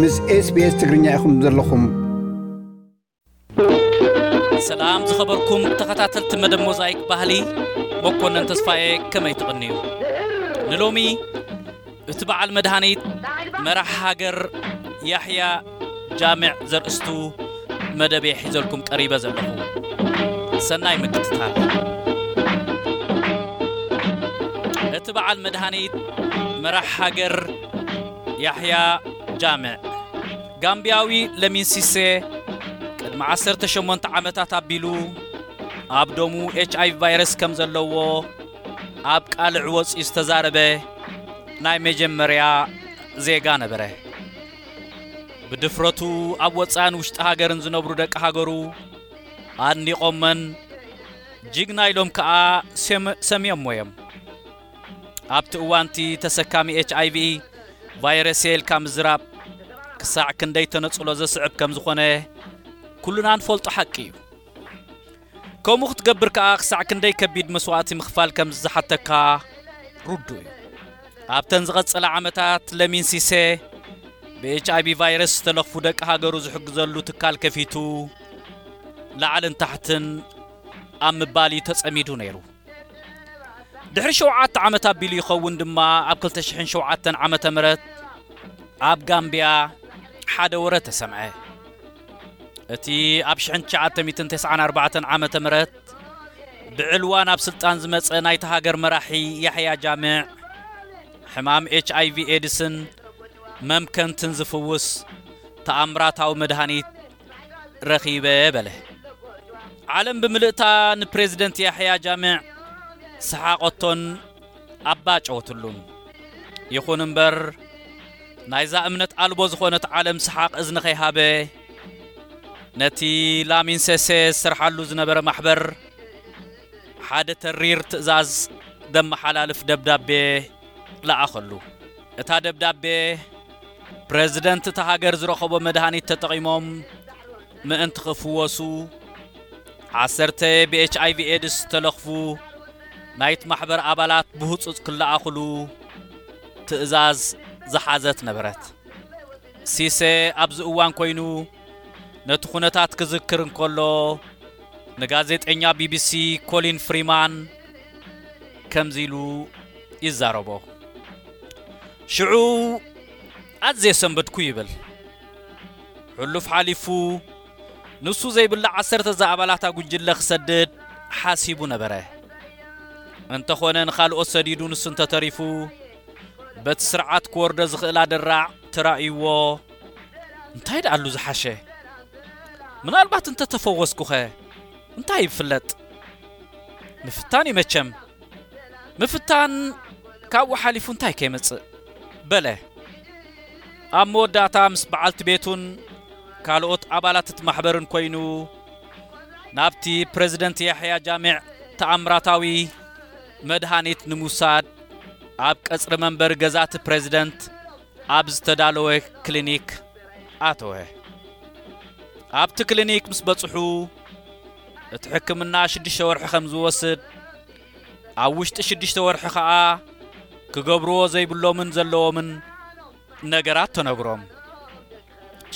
ምስ SBS ትግርኛ ኢኹም ዘለኹም። ሰላም ዝኸበርኩም ተኸታተልቲ መደብ ሞዛይክ ባህሊ፣ መኮነን ተስፋዬ፣ ከመይ ትቕንዩ? ንሎሚ እቲ በዓል መድሃኒት መራሕ ሃገር ያሕያ ጃምዕ ዘርእስቱ መደብ እየ ሒዘልኩም ቀሪበ ዘለኹ። ሰናይ ምክትታል። እቲ በዓል መድሃኒት መራሕ ሃገር ያሕያ ጃምዕ፣ ጋምቢያዊ ለሚን ሲሴ፣ ቅድሚ ዓሰርተ ሸሞንተ ዓመታት ኣቢሉ ኣብ ደሙ ኤች ኣይ ቪ ቫይረስ ከም ዘለዎ ኣብ ቃልዕ ወጺኡ ዝተዛረበ ናይ መጀመርያ ዜጋ ነበረ። ብድፍረቱ ኣብ ወጻእን ውሽጢ ሃገርን ዝነብሩ ደቂ ሃገሩ ኣድኒቖመን ጅግና ኢሎም ከኣ ሰም-፣ ሰምዮሞ እዮም። ኣብቲ እዋንቲ ተሰካሚ ኤች ኣይ ቪ ቫይረስ እየ ኢልካ ምዝራብ ክሳዕ ክንደይ ተነጽሎ ዘስዕብ ከም ዝኾነ ኩልና ንፈልጦ ሓቂ እዩ። ከምኡ ክትገብር ከኣ ክሳዕ ክንደይ ከቢድ መስዋእቲ ምኽፋል ከም ዝሓተካ ርዱእ እዩ። ኣብተን ዝቐጸላ ዓመታት ለሚን ሲሴ ብኤች ኣይ ቪ ቫይረስ ዝተለኽፉ ደቂ ሃገሩ ዝሕግዘሉ ትካል ከፊቱ ላዕልን ታሕትን ኣብ ምባል እዩ ተጸሚዱ ነይሩ። ድሕሪ ሸውዓተ ዓመት ኣቢሉ ይኸውን ድማ ኣብ ክልተ ሽሕን ሸውዓተን ዓመተ ምህረት ኣብ ጋምቢያ ሓደ ወረ ተሰምዐ። እቲ ኣብ ሽሕን ትሽዓተ ሚእትን ተስዓን ኣርባዕተን ዓመተ ምህረት ብዕልዋ ናብ ስልጣን ዝመጸ ናይታ ሃገር መራሒ ያሕያ ጃምዕ ሕማም ኤች ኣይ ቪ ኤድስን መምከንትን ዝፍውስ ተኣምራታዊ መድሃኒት ረኺበ በለ። ዓለም ብምልእታ ንፕሬዝደንት ያሕያ ጃምዕ ሰሓቐቶን ኣባጨወትሉን። ይኹን እምበር ናይዛ እምነት ኣልቦ ዝኾነት ዓለም ሰሓቕ እዝኒ ከይሃበ ነቲ ላሚን ሴሴ ዝሰርሓሉ ዝነበረ ማሕበር ሓደ ተሪር ትእዛዝ ደመሓላልፍ ደብዳቤ ለኣኸሉ። እታ ደብዳቤ ፕሬዝደንት እታ ሃገር ዝረኸቦ መድሃኒት ተጠቒሞም ምእንቲ ክፍወሱ ዓሰርተ ብ ኤች ኣይ ቪ ኤድስ ዝተለኽፉ ናይቲ ማሕበር ኣባላት ብህጹጽ ክለኣኽሉ ትእዛዝ ዝሓዘት ነበረት። ሲሴ ኣብዚ እዋን ኮይኑ ነቲ ኩነታት ክዝክር እንከሎ ንጋዜጠኛ ቢ ቢ ሲ ኮሊን ፍሪማን ከምዚ ኢሉ ይዛረቦ። ሽዑ ኣዝየ ሰንበድኩ ይብል። ሕሉፍ ሓሊፉ ንሱ ዘይብላ ዓሰርተ ዝኣባላታ ጉጅለ ክሰድድ ሓሲቡ ነበረ። እንተኾነ ንኻልኦት ሰዲዱ ንሱ እንተተሪፉ በቲ ስርዓት ክወርዶ ዝኽእል ኣደራዕ ተራእይዎ እንታይ ደኣሉ ዝሓሸ? ምናልባት እንተተፈወስኩኸ እንታይ ይፍለጥ? ምፍታን እዩ መቸም። ምፍታን ካብኡ ሓሊፉ እንታይ ከይመጽእ? በለ። ኣብ መወዳእታ ምስ በዓልቲ ቤቱን ካልኦት ኣባላት እቲ ማሕበርን ኮይኑ ናብቲ ፕሬዝደንት ያሕያ ጃሚዕ ተኣምራታዊ መድሃኒት ንምውሳድ ኣብ ቀጽሪ መንበሪ ገዛቲ ፕሬዝደንት ኣብ ዝተዳለወ ክሊኒክ ኣተወ። ኣብቲ ክሊኒክ ምስ በጽሑ እቲ ሕክምና ሽዱሽተ ወርሒ ከም ዝወስድ ኣብ ውሽጢ ሽዱሽተ ወርሒ ኸኣ ክገብርዎ ዘይብሎምን ዘለዎምን ነገራት ተነግሮም።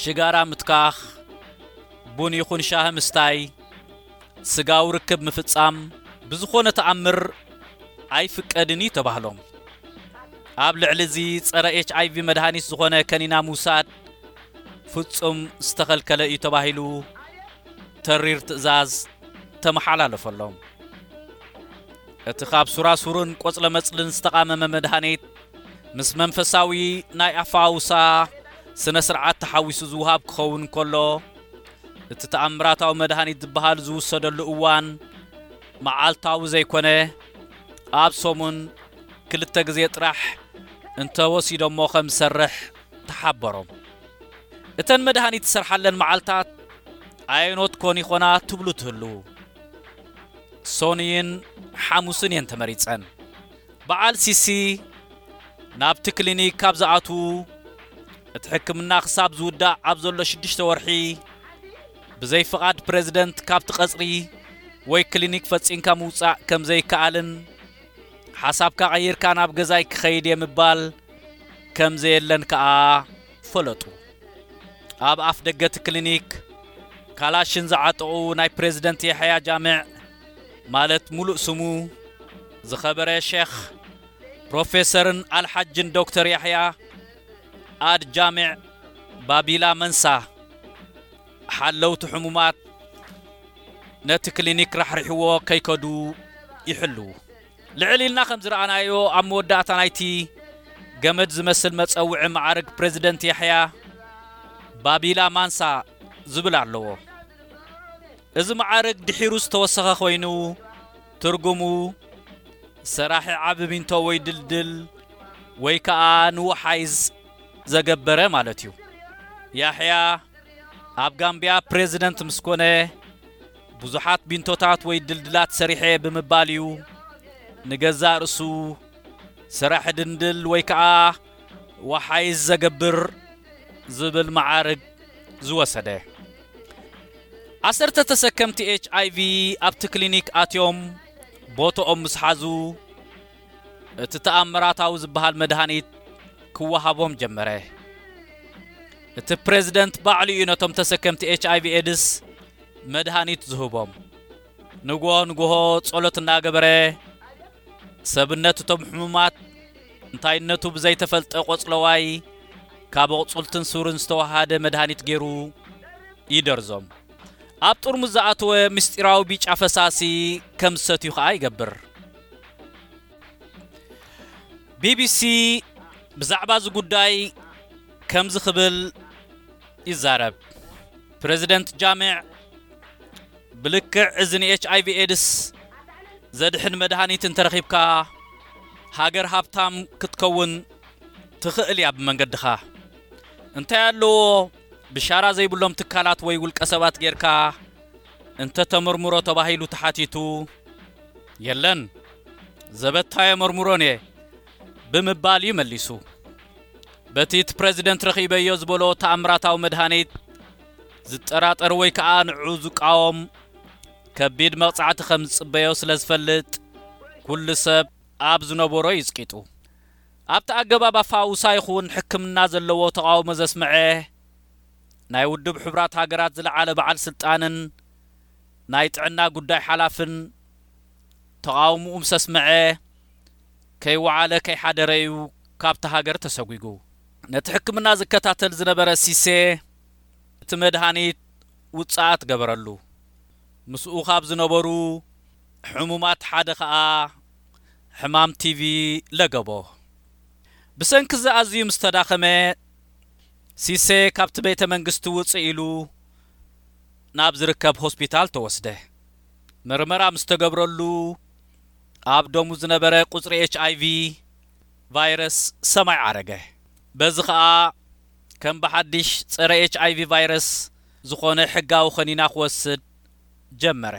ሽጋራ ምትካኽ፣ ቡን ይኹን ሻሂ ምስታይ፣ ስጋዊ ርክብ ምፍጻም ብዝኾነ ተኣምር ኣይፍቀድን እዩ ተባህሎም። ኣብ ልዕሊ እዚ ጸረ ኤች ኣይ ቪ መድሃኒት ዝኾነ ከኒና ምውሳድ ፍጹም ዝተኸልከለ እዩ ተባሂሉ ተሪር ትእዛዝ ተመሓላለፈሎም። እቲ ካብ ሱራሱርን ቆጽለመጽልን ዝተቓመመ መድሃኒት ምስ መንፈሳዊ ናይ ኣፋውሳ ስነ ስርዓት ተሓዊሱ ዝውሃብ ክኸውን እንከሎ እቲ ተኣምራታዊ መድሃኒት ዝበሃል ዝውሰደሉ እዋን መዓልታዊ ዘይኮነ ኣብ ሰሙን ክልተ ግዜ ጥራሕ እንተወሲዶሞ ከም ዝሰርሕ ተሓበሮም። እተን መድሃኒት ዝሰርሓለን መዓልታት ኣየኖት ኮን ይኾና ትብሉ ትህልዉ? ሶንይን ሓሙስን እየን ተመሪጸን። በዓል ሲሲ ናብቲ ክሊኒክ ካብ ዝኣትዉ እቲ ሕክምና ክሳብ ዝውዳእ ኣብ ዘሎ ሽዱሽተ ወርሒ ብዘይ ፍቓድ ፕሬዝደንት ካብቲ ቀጽሪ ወይ ክሊኒክ ፈጺምካ ምውጻእ ከም ዘይከኣልን ሓሳብካ ቀይርካ ናብ ገዛይ ክኸይድ እየ ምባል ከም ዘየለን ከኣ ፈለጡ። ኣብ ኣፍ ደገ እቲ ክሊኒክ ካላሽን ዝዓጠቑ ናይ ፕሬዝደንት የሕያ ጃምዕ፣ ማለት ሙሉእ ስሙ ዝኸበረ ሼኽ ፕሮፌሰርን ኣልሓጅን ዶክተር ያሕያ ኣድ ጃምዕ ባቢላ መንሳ፣ ሓለውቲ ሕሙማት ነቲ ክሊኒክ ራሕሪሕዎ ከይከዱ ይሕልዉ። ልዕል ኢልና ከም ዝረኣናዮ፣ ኣብ መወዳእታ ናይቲ ገመድ ዝመስል መጸውዒ መዓርግ ፕሬዝደንት ያሕያ ባቢላ ማንሳ ዝብል ኣለዎ። እዚ መዓርግ ድሒሩ ዝተወሰኸ ኮይኑ፣ ትርጉሙ ሰራሒ ዓቢ ቢንቶ ወይ ድልድል ወይ ከኣ ንወሓይዝ ዘገበረ ማለት እዩ። ያሕያ ኣብ ጋምብያ ፕሬዝደንት ምስ ኮነ፣ ብዙሓት ቢንቶታት ወይ ድልድላት ሰሪሐ ብምባል እዩ ንገዛእ ርእሱ ሰራሒ ድንድል ወይ ከኣ ወሓይዝ ዘገብር ዝብል መዓርግ ዝወሰደ። ዓሰርተ ተሰከምቲ ኤች ኣይ ቪ ኣብቲ ክሊኒክ ኣትዮም ቦትኦም ምስ ሓዙ፣ እቲ ተኣምራታዊ ዝበሃል መድሃኒት ክወሃቦም ጀመረ። እቲ ፕሬዝደንት ባዕሉ እዩ ነቶም ተሰከምቲ ኤች ኣይ ቪ ኤድስ መድሃኒት ዝህቦም። ንግሆ ንግሆ ጸሎት እናገበረ፣ ሰብነት እቶም ሕሙማት እንታይነቱ ብዘይተፈልጠ ቆጽለዋይ ካብ ኣቑጽልትን ሱርን ዝተወሃደ መድሃኒት ገይሩ ይደርዞም። ኣብ ጥርሙዝ ዝኣተወ ምስጢራዊ ቢጫ ፈሳሲ ከም ዝሰትዩ ኸኣ ይገብር። ቢ ቢ ሲ ብዛዕባ እዚ ጉዳይ ከምዚ ክብል ይዛረብ። ፕሬዝደንት ጃምዕ፣ ብልክዕ እዚ ን ኤች ኣይ ቪ ኤድስ ዘድሕን መድሃኒት እንተረኺብካ፣ ሃገር ሃብታም ክትከውን ትኽእል እያ ብመንገድኻ። እንታይ ኣለዎ፣ ብሻራ ዘይብሎም ትካላት ወይ ውልቀ ሰባት ጌርካ እንተ ተመርምሮ ተባሂሉ ተሓቲቱ፣ የለን፣ ዘበታ የመርምሮን እየ ብምባል እዩ መሊሱ። በቲ እቲ ፕሬዝደንት ረኺበዮ ዝበሎ ተኣምራታዊ መድሃኒት ዝጠራጠር ወይ ከኣ ንዕኡ ዝቃወም ከቢድ መቕጻዕቲ ከም ዝጽበዮ ስለ ዝፈልጥ፣ ኩሉ ሰብ ኣብ ዝነበሮ እዩ ጽቂጡ። ኣብቲ ኣገባብ ኣፋውሳ ይኹን ሕክምና ዘለዎ ተቓውሞ ዘስምዐ ናይ ውድብ ሕቡራት ሃገራት ዝለዓለ በዓል ስልጣንን ናይ ጥዕና ጉዳይ ሓላፍን ተቓውሞኡ ምስ ኣስምዐ፣ ከይወዓለ ከይሓደረ እዩ ካብቲ ሃገር ተሰጒጉ። ነቲ ሕክምና ዝከታተል ዝነበረ ሲሴ፣ እቲ መድሃኒት ውጽኣት ገበረሉ። ምስኡ ካብ ዝነበሩ ሕሙማት ሓደ ኸኣ ሕማም ቲ ቪ ለገቦ። ብሰንኪ እዚ ኣዝዩ ምስ ተዳኸመ፣ ሲሴ ካብቲ ቤተ መንግስቲ ውጽእ ኢሉ ናብ ዝርከብ ሆስፒታል ተወስደ። መርመራ ምስ ተገብረሉ፣ ኣብ ደሙ ዝነበረ ቁጽሪ ኤች ኣይ ቪ ቫይረስ ሰማይ ዓረገ። በዚ ኸኣ ከም ብሓድሽ ጸረ ኤች ኣይ ቪ ቫይረስ ዝኾነ ሕጋዊ ኸኒና ክወስድ ጀመረ።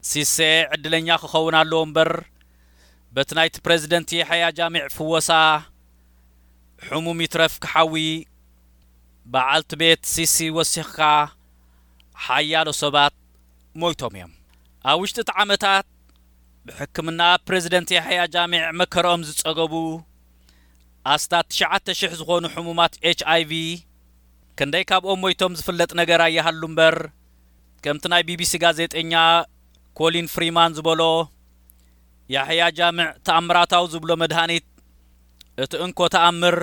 ሲሴ ዕድለኛ ክኸውን ኣለዎ እምበር፣ በቲ ናይቲ ፕሬዝደንት የሕያ ጃሚዕ ፍወሳ፣ ሕሙም ይትረፍ ክሓዊ፣ በዓልቲ ቤት ሲሲ ወሲኽካ፣ ሓያሎ ሰባት ሞይቶም እዮም። ኣብ ውሽጢ እቲ ዓመታት፣ ብሕክምና ፕሬዝደንት የሕያ ጃሚዕ መከረኦም ዝጸገቡ ኣስታት ትሽዓተ ሽሕ ዝኾኑ ሕሙማት ኤች ኣይ ቪ፣ ክንደይ ካብኦም ሞይቶም ዝፍለጥ ነገር ኣይሃሉ እምበር፣ ከምቲ ናይ ቢ ቢ ሲ ጋዜጠኛ ኮሊን ፍሪማን ዝበሎ፣ ያሕያ ጃምዕ ተኣምራታዊ ዝብሎ መድሃኒት፣ እቲ እንኮ ተኣምር፣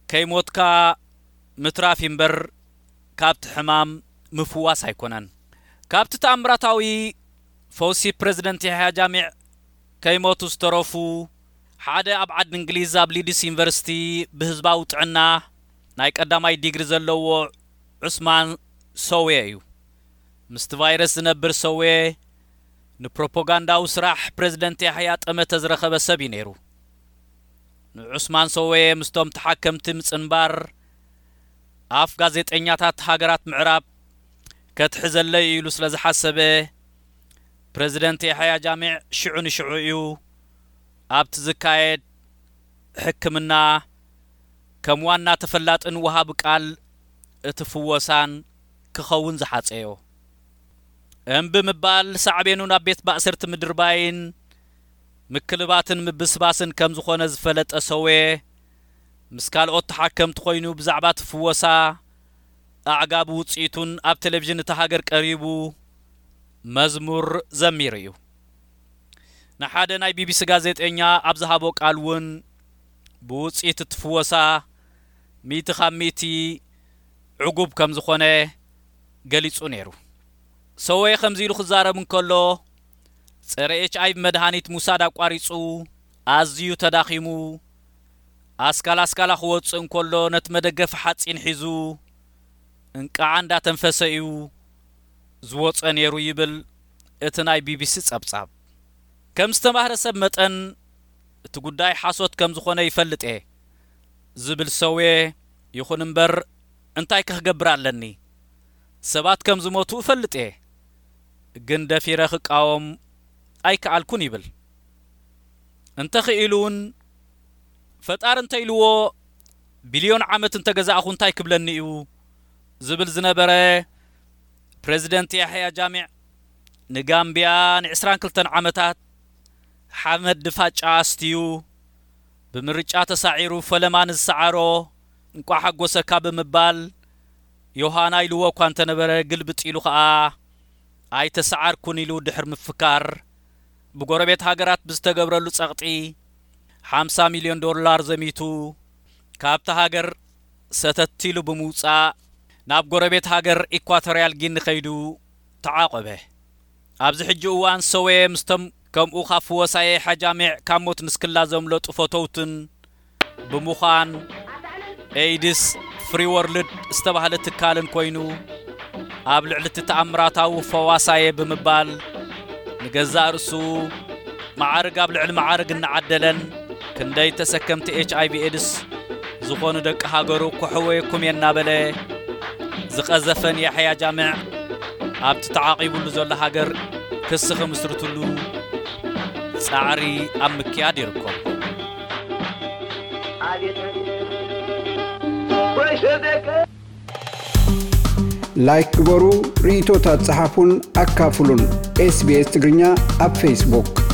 ከይሞትካ ምትራፍ እዩ እምበር፣ ካብቲ ሕማም ምፍዋስ ኣይኮነን። ካብቲ ተኣምራታዊ ፈውሲ ፕሬዝደንት ያሕያ ጃሚዕ ከይሞቱ ዝተረፉ፣ ሓደ ኣብ ዓዲ እንግሊዝ ኣብ ሊድስ ዩኒቨርሲቲ ብህዝባዊ ጥዕና ናይ ቀዳማይ ዲግሪ ዘለዎ ዑስማን ሰውየ እዩ። ምስቲ ቫይረስ ዝነብር ሰውየ ንፕሮፓጋንዳዊ ስራሕ ፕሬዝደንት ያሕያ ጠመተ ዝረኸበ ሰብ እዩ ነይሩ። ንዑስማን ሰውየ ምስቶም ተሓከምቲ ምጽንባር፣ ኣፍ ጋዜጠኛታት ሃገራት ምዕራብ ከትሕዘለይ ኢሉ ስለ ዝሓሰበ፣ ፕሬዝደንት ያሕያ ጃሚዕ ሽዑ ንሽዑ እዩ ኣብቲ ዝካየድ ሕክምና ከም ዋና ተፈላጥን ወሃቢ ቃል እቲ ፍወሳን ክኸውን ዝሓጸዮ። እምቢ ምባል ሳዕቤኑ ናብ ቤት ማእሰርቲ ምድርባይን ምክልባትን ምብስባስን ከም ዝኾነ ዝፈለጠ ሰውየ፣ ምስ ካልኦት ተሓከምቲ ኮይኑ ብዛዕባ እቲ ፍወሳ ኣዕጋቢ ውጽኢቱን ኣብ ቴሌቪዥን እታ ሃገር ቀሪቡ መዝሙር ዘሚሩ እዩ። ንሓደ ናይ ቢቢሲ ጋዜጠኛ ኣብ ዝሃቦ ቃል እውን፣ ብውጽኢት እቲ ፍወሳ ሚእቲ ካብ ሚእቲ ዕጉብ ከም ዝኾነ ገሊጹ ነይሩ። ሰወየ ከምዚ ኢሉ ክዛረብ እንከሎ፣ ጸረ ኤች ኣይ ቪ መድሃኒት ምውሳድ ኣቋሪጹ፣ ኣዝዩ ተዳኺሙ፣ ኣስካል ኣስካላ ክወጽእ እንከሎ ነቲ መደገፊ ሓጺን ሒዙ እንቃዓ እንዳተንፈሰ እዩ ዝወጸ ነይሩ ይብል እቲ ናይ ቢቢሲ ጸብጻብ። ከም ዝተማህረ ሰብ መጠን እቲ ጉዳይ ሓሶት ከም ዝኾነ ይፈልጥ እየ ዝብል ሰውየ፣ ይኹን እምበር እንታይ ከ ክገብር ኣለኒ? ሰባት ከም ዝሞቱ እፈልጥ እየ፣ ግን ደፊረ ክቃወም ኣይከኣልኩን ይብል። እንተኽኢሉ እውን ፈጣሪ እንተኢልዎ ቢልዮን ዓመት እንተገዛእኹ እንታይ ክብለኒ እዩ ዝብል ዝነበረ ፕሬዚደንት ያሕያ ጃሚዕ፣ ንጋምቢያ ን ዕስራን ክልተን ዓመታት ሓመድ ድፋጫ ኣስትዩ ብምርጫ ተሳዒሩ ፈለማ ንዝሰዓሮ እንቋዕ ሓጎሰካ ብምባል ዮሃና ኢልዎ እኳ እንተነበረ፣ ግልብጥ ኢሉ ኸኣ ኣይተሰዓርኩን ኢሉ ድሕሪ ምፍካር፣ ብጎረቤት ሃገራት ብዝተገብረሉ ጸቕጢ ሓምሳ ሚልዮን ዶላር ዘሚቱ ካብታ ሃገር ሰተት ኢሉ ብምውጻእ ናብ ጎረቤት ሃገር ኢኳቶርያል ጊኒ ከይዱ ተዓቖበ። ኣብዚ ሕጂ እዋን ሰውየ ምስቶም ከምኡ ካብ ፍወሳየ ሓጃሚዕ ካብ ሞት ንስክላ ዘምለጡ ፈተውትን ብምዃን ኤይድስ ፍሪ ወርልድ ዝተባህለ ትካልን ኮይኑ ኣብ ልዕሊ እቲ ተኣምራታዊ ፈዋሳየ ብምባል ንገዛእ ርእሱ መዓርግ ኣብ ልዕሊ መዓርግ እናዓደለን ክንደይ ተሰከምቲ ኤች ኣይ ቪ ኤድስ ዝኾኑ ደቂ ሃገሩ ከሕወየኩም እየ እናበለ ዝቐዘፈን ያሕያ ጃምዕ ኣብቲ ተዓቒቡሉ ዘሎ ሃገር ክሲ ክምስርትሉ ጻዕሪ ኣብ ምክያድ ይርከቡ። ላይክ ግበሩ፣ ርእይቶታት ጸሓፉን ኣካፍሉን። ኤስ ቢ ኤስ ትግርኛ ኣብ ፌስቡክ።